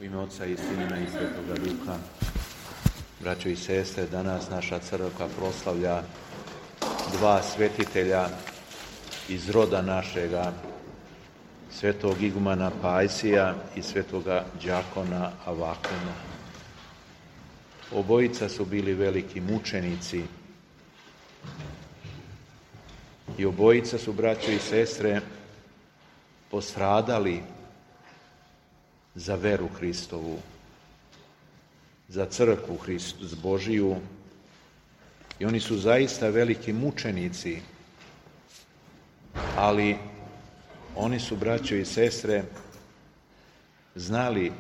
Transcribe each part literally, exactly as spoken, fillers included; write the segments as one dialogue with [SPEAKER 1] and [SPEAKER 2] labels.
[SPEAKER 1] U ime Oca i Sina i Svetoga Duha, braćo i sestre, danas naša crkva proslavlja dva svetitelja iz roda našega, svetog igumana Pajsija i svetoga đakona Avakuma. Obojica su bili veliki mučenici i obojica su, braćo i sestre, postradali za veru Hristovu, za crkvu Hristu Božiju, i oni su zaista veliki mučenici, ali oni su, braćo i sestre, znali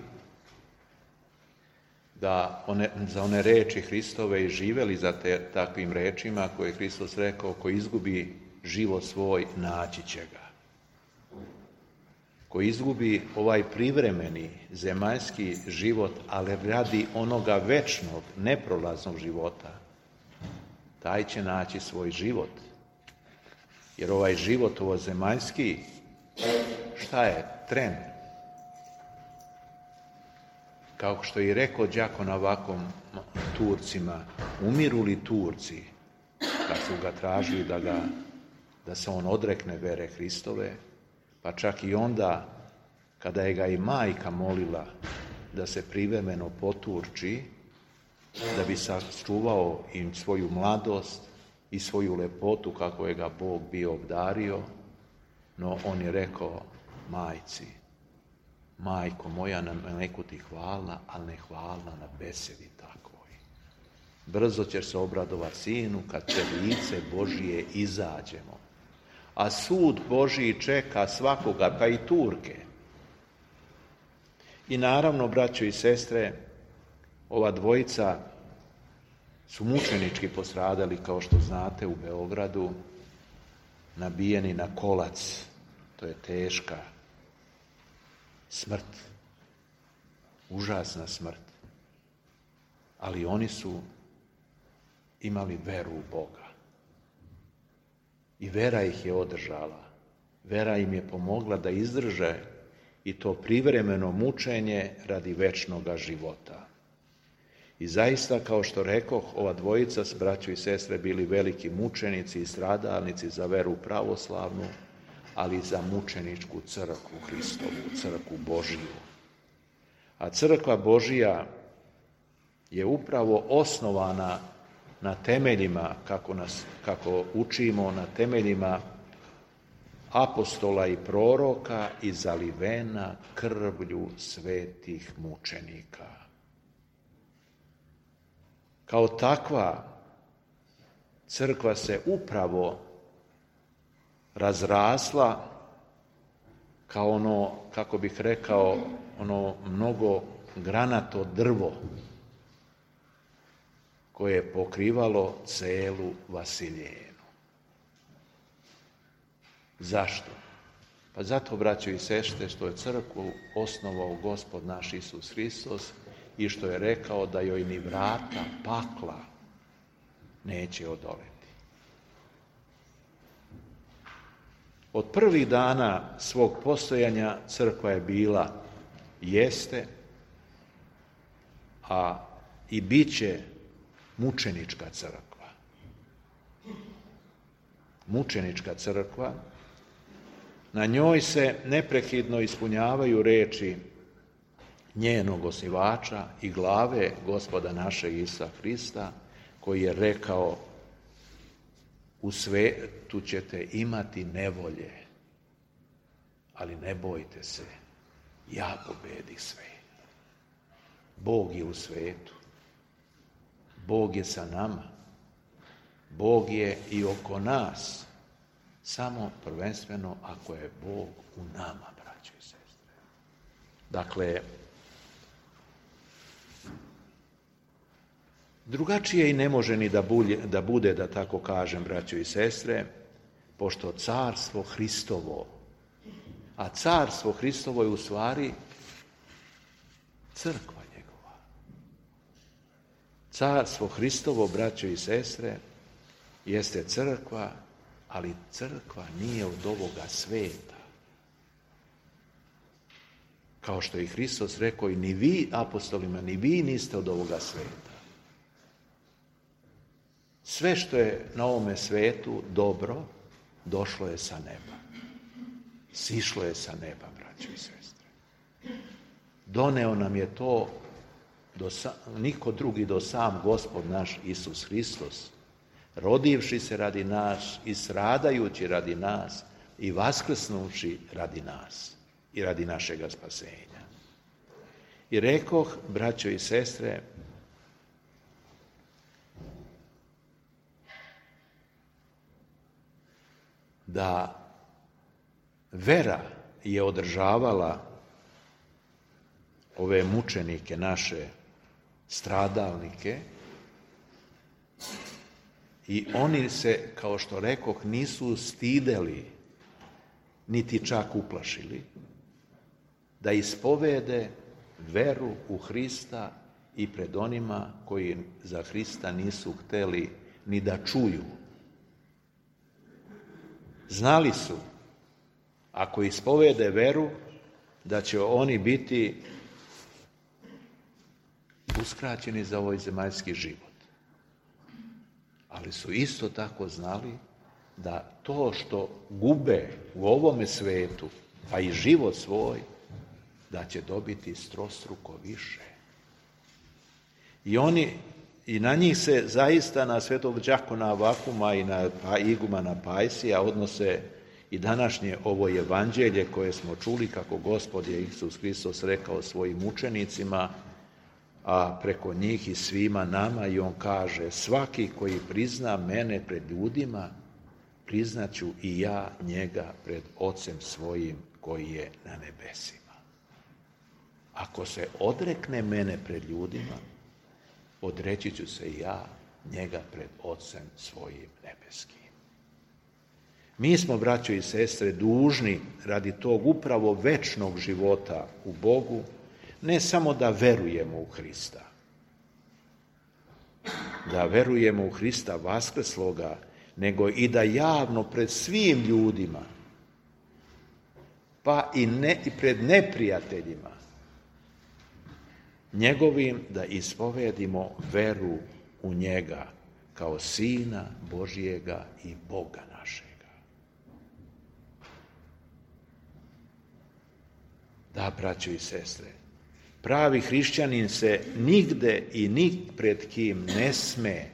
[SPEAKER 1] da one, za one reči Hristove i živeli za te, takvim rečima koje je Hristos rekao: ko izgubi život svoj, naći će ga. Ko izgubi ovaj privremeni zemaljski život, ali radi onoga večnog, neprolaznog života, taj će naći svoj život. Jer ovaj život, ovo zemaljski, šta je? Tren. Kao što je i rekao đakon Avakum Turcima, umiru li Turci kad su ga tražili da, ga, da se on odrekne vere Hristove, pa čak i onda kada je ga i majka molila da se privremeno poturči, da bi sačuvao im svoju mladost i svoju lepotu kako je ga Bog bio obdario, no on je rekao majci: majko moja, na neku ti hvala, ali ne hvala na besedi takvoj. Brzo ćeš se obradovati sinu kad pred lice Božije izađemo. A sud Božiji čeka svakoga, pa i Turke. I naravno, braćo i sestre, ova dvojica su mučenički postradali, kao što znate, u Beogradu, nabijeni na kolac. To je teška smrt, užasna smrt. Ali oni su imali veru u Boga. I vera ih je održala. Vera im je pomogla da izdrže i to privremeno mučenje radi večnoga života. I zaista, kao što rekoh, ova dvojica s braćo i sestre bili veliki mučenici i stradalnici za veru pravoslavnu, ali i za mučeničku crkvu Hristovu, crkvu Božiju. A crkva Božija je upravo osnovana na temeljima, kako, nas, kako učimo, na temeljima apostola i proroka i zalivena krvlju svetih mučenika. Kao takva, crkva se upravo razrasla kao ono, kako bih rekao, ono mnogo granato drvo koje je pokrivalo celu Vasiljenu. Zašto? Pa zato, braćo i sestre, što je crkvu osnovao Gospod naš Isus Hristos i što je rekao da joj ni vrata pakla neće odoleti. Od prvih dana svog postojanja crkva je bila, jeste, a i bit će mučenička crkva. Mučenička crkva, na njoj se neprekidno ispunjavaju reči njenog osnivača i glave Gospoda našeg Isusa Hrista, koji je rekao: u svetu ćete imati nevolje, ali ne bojte se, ja pobedih svet. Bog je u svetu. Bog je sa nama. Bog je i oko nas. Samo prvenstveno ako je Bog u nama, braćo i sestre. Dakle, drugačije i ne može ni da, bulje, da bude, da tako kažem, braćo i sestre, pošto carstvo Hristovo, a carstvo Hristovo je u stvari crkva njegova. Carstvo Hristovo, braćo i sestre, jeste crkva, ali crkva nije od ovoga sveta. Kao što je Hristos rekao, i ni vi, apostolima, ni vi niste od ovoga sveta. Sve što je na ovome svetu dobro, došlo je sa neba. Sišlo je sa neba, braćo i sestre. Doneo nam je to do sa, niko drugi do sam Gospod naš Isus Hristos, rodivši se radi nas i stradajući radi nas i vaskrsnuši radi nas i radi našega spasenja. I rekoh, braćo i sestre, da vera je održavala ove mučenike naše, stradalnike, i oni se, kao što rekoh, nisu stideli, niti čak uplašili, da ispovede veru u Hrista i pred onima koji za Hrista nisu hteli ni da čuju. Znali su, ako ispovede veru, da će oni biti uskraćeni za ovaj zemaljski život. Ali su isto tako znali da to što gube u ovome svetu, pa i život svoj, da će dobiti strostruko više. I oni, i na njih se zaista, na svetog đakona Avakuma i na igumana Pajsija, odnose i današnje ovo evanđelje koje smo čuli, kako Gospod je Isus Hristos rekao svojim učenicima, a preko njih i svima nama, i on kaže: svaki koji prizna mene pred ljudima, priznaću i ja njega pred Ocem svojim koji je na nebesima. Ako se odrekne mene pred ljudima, odreći ću se i ja njega pred Ocem svojim nebeskim. Mi smo, braćo i sestre, dužni radi tog upravo večnog života u Bogu, ne samo da verujemo u Hrista, da verujemo u Hrista vaskrsloga, nego i da javno pred svim ljudima, pa i, ne, i pred neprijateljima njegovim, da ispovedimo veru u njega kao Sina Božijega i Boga našega. Da, braćo i sestre, pravi hrišćanin se nigde i nik pred kim ne sme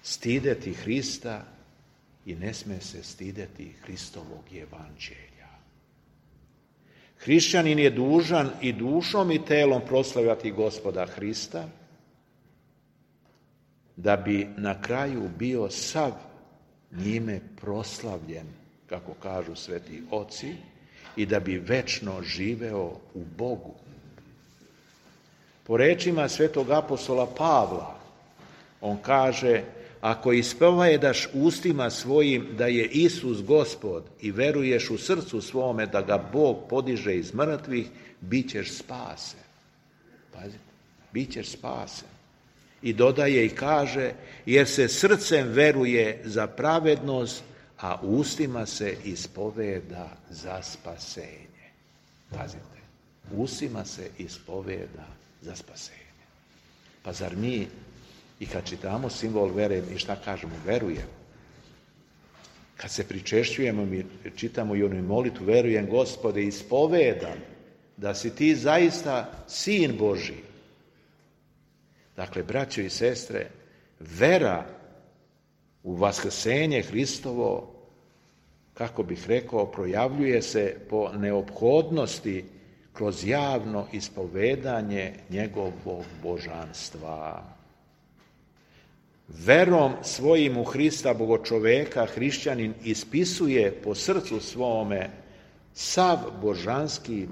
[SPEAKER 1] stideti Hrista i ne sme se stideti Hristovog evanđelja. Hrišćanin je dužan i dušom i telom proslavljati Gospoda Hrista, da bi na kraju bio sav njime proslavljen, kako kažu sveti oci, i da bi večno živeo u Bogu. Po rečima svetog apostola Pavla, on kaže: ako ispovedaš ustima svojim da je Isus Gospod i veruješ u srcu svome da ga Bog podiže iz mrtvih, bit ćeš spasen. Pazite, bit ćeš spasen. I dodaje i kaže: jer se srcem veruje za pravednost, a ustima se ispoveda za spasenje. Pazite, ustima se ispoveda za spasenje. Pa zar mi, i kad čitamo simbol vere, i šta kažemo? Verujemo. Kad se pričešćujemo, mi čitamo i onu molitvu: verujem, Gospode, ispovedam da si ti zaista Sin Božji. Dakle, braćo i sestre, vera u vaskrsenje Hristovo, kako bih rekao, projavljuje se po neophodnosti kroz javno ispovedanje njegovog božanstva. Verom svojim u Hrista bogočoveka hrišćanin ispisuje po srcu svome sav božanski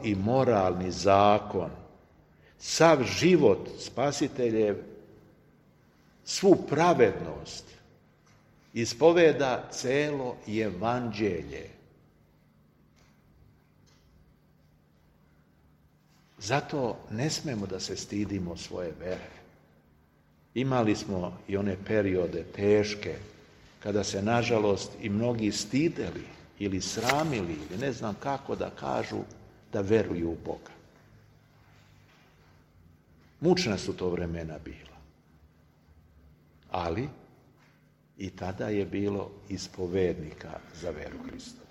[SPEAKER 1] i moralni zakon, sav život spasiteljev, svu pravednost, ispoveda celo evanđelje. Zato ne smemo da se stidimo svoje vere. Imali smo i one periode teške, kada se, nažalost, i mnogi stideli ili sramili ili ne znam kako da kažu da veruju u Boga. Mučna su to vremena bila. Ali i tada je bilo ispovednika za veru Hristovu.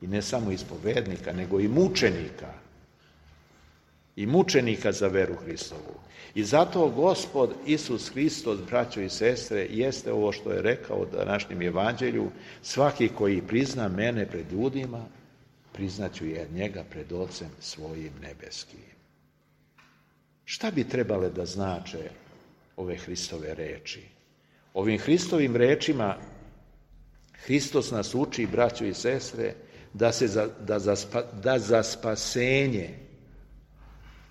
[SPEAKER 1] I ne samo ispovednika, nego i mučenika. I mučenika za veru Hristovu. I zato Gospod Isus Hristos, braćo i sestre, jeste ovo što je rekao u današnjem evanđelju: svaki koji prizna mene pred ljudima, priznaću je njega pred Ocem svojim nebeskim. Šta bi trebale da znače ove Hristove reči? Ovim Hristovim rečima Hristos nas uči, braćo i sestre, da, se za, da, za, da za spasenje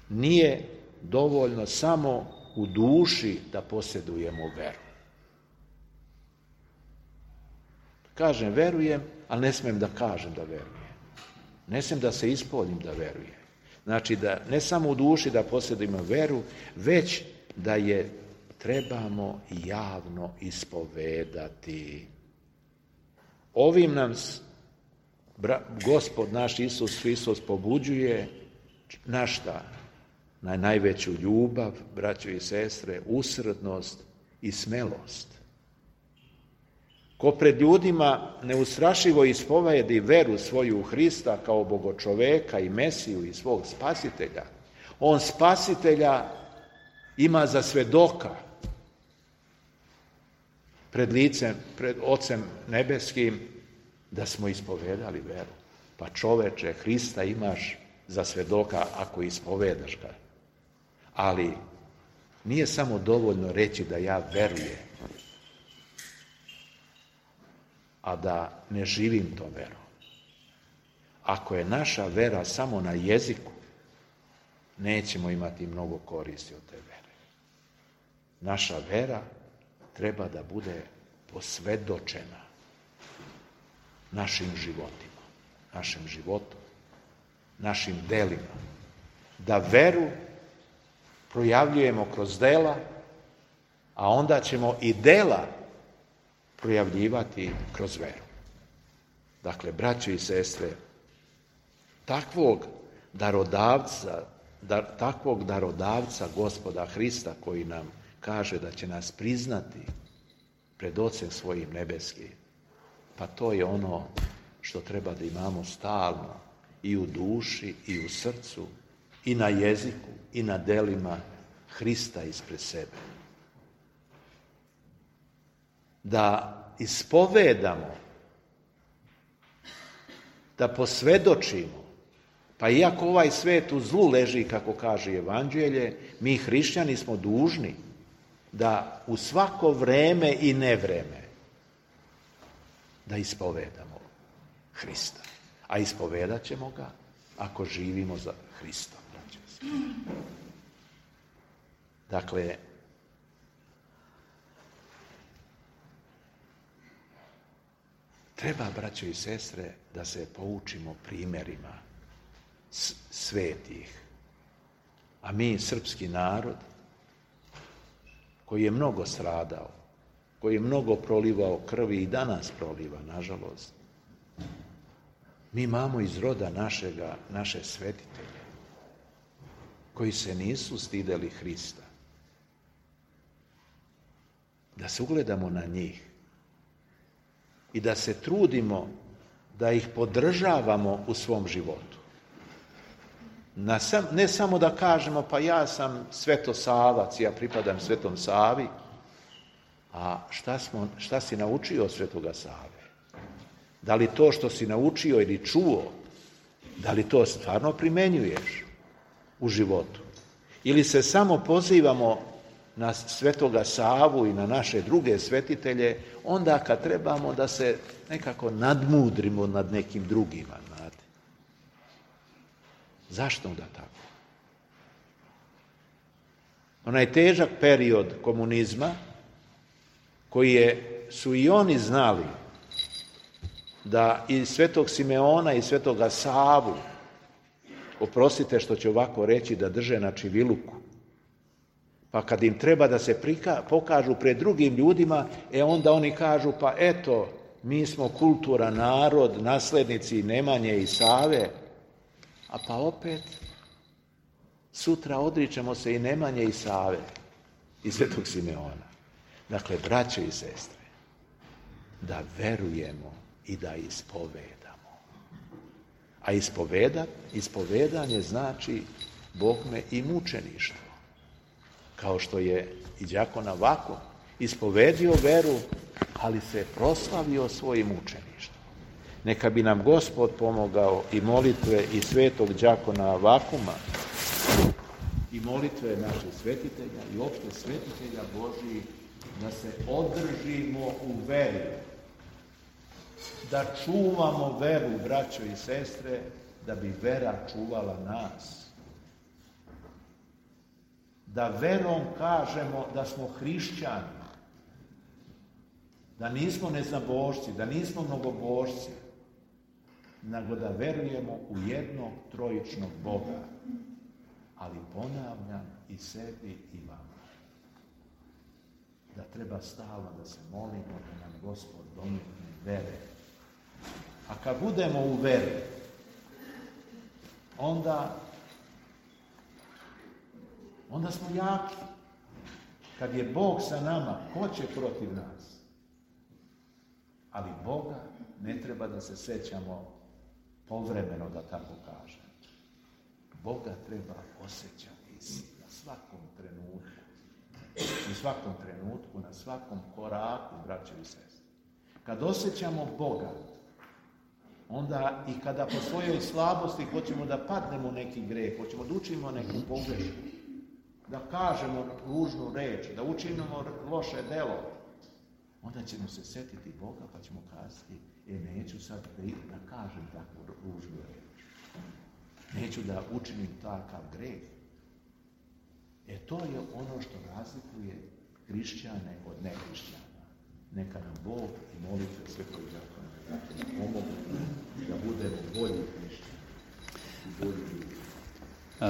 [SPEAKER 1] nije dovoljno samo u duši da posjedujemo veru. Kažem verujem, ali ne smijem da kažem da verujem. Ne smijem da se ispoljim da verujem. Znači da ne samo u duši da posjedujemo veru, već da je trebamo javno ispovedati. Ovim nam Gospod naš Isus Hristos pobuđuje na šta? Na najveću ljubav, braćo i sestre, usrdnost i smelost. Ko pred ljudima neustrašivo ispovedi veru svoju u Hrista kao Bogočoveka i Mesiju i svog spasitelja, on spasitelja ima za svedoka pred licem, pred Ocem nebeskim, da smo ispovedali veru. Pa čoveče, Hrista imaš za svedoka ako ispovedaš ga. Ali nije samo dovoljno reći da ja verujem, a da ne živim to verom. Ako je naša vera samo na jeziku, nećemo imati mnogo koristi od te vere. Naša vera treba da bude posvedočena našim životima, našem životu, našim delima. Da veru projavljujemo kroz dela, a onda ćemo i dela projavljivati kroz veru. Dakle, braćo i sestre, takvog darodavca, dar, takvog darodavca Gospoda Hrista koji nam kaže da će nas priznati pred Ocem svojim nebeskim, pa to je ono što treba da imamo stalno i u duši i u srcu i na jeziku i na delima Hrista ispred sebe. Da ispovedamo, da posvedočimo, pa iako ovaj svet u zlu leži, kako kaže Evanđelje, mi hrišćani smo dužni da u svako vreme i nevreme da ispovedamo Hrista. A ispovedat ćemo ga ako živimo za Hristom. Dakle, treba, braćo i sestre, da se poučimo primjerima svetih. A mi, srpski narod, koji je mnogo stradao, koji je mnogo prolivao krvi i danas proliva, nažalost, mi imamo iz roda našega, naše svetitelje, koji se nisu stideli Hrista. Da se ugledamo na njih i da se trudimo da ih podržavamo u svom životu. Na sam, ne samo da kažemo pa ja sam Svetosavac, ja pripadam Svetom Savi, a šta, smo, šta si naučio od Svetoga Save? Da li to što si naučio ili čuo, da li to stvarno primenjuješ u životu? Ili se samo pozivamo na Svetoga Savu i na naše druge svetitelje, onda kad trebamo da se nekako nadmudrimo nad nekim drugima, znate. Zašto onda tako? Onaj težak period komunizma, koji je, su i oni znali da i Svetog Simeona i Svetoga Savu, oprostite što ću ovako reći, da drže na čiviluku. Pa kad im treba da se prika, pokažu pred drugim ljudima, e onda oni kažu, pa eto, mi smo kulturan narod, naslednici Nemanje i Save, a pa opet sutra odričemo se i Nemanje i Save i Svetog Simeona. Dakle, braće i sestre, da verujemo i da ispovedamo. A ispoveda, ispovedanje znači bogme i mučeništvo. Kao što je i đakon Avakov ispovedio veru, ali se proslavio svojim mučeništvom. Neka bi nam Gospod pomogao i molitve i svetog đakona Avakuma i molitve naših svetitelja i opšte svetitelja Božijih, da se održimo u veri, da čuvamo veru, braćo i sestre, da bi vera čuvala nas. Da verom kažemo da smo hrišćani, da nismo neznabošci, da nismo mnogobošci, nego da verujemo u jednog trojičnog Boga, ali ponavljam i sebi i vama. Da treba stalno da se molimo da nam Gospod dometne vere. A kad budemo u veri, onda onda smo jaki. Kad je Bog sa nama, ko će protiv nas? Ali Boga ne treba da se sećamo povremeno, da tako kažem. Boga treba osjećati na svakom trenutku. U svakom trenutku, na svakom koraku, braće i sestre. Kad osjećamo Boga, onda i kada po svojoj slabosti hoćemo da padnemo u neki greh, hoćemo da učinimo neku pogrešku, da kažemo ružnu reč, da učinimo loše delo, onda ćemo se setiti Boga pa ćemo kazati, e, neću sad da kažem takvu ružnu reč. Neću da učinim takav greh. E, to je ono što razlikuje hrišćane od nehrišćana. Neka nam Bog i molitve svetog đakona pomogu da budemo bolji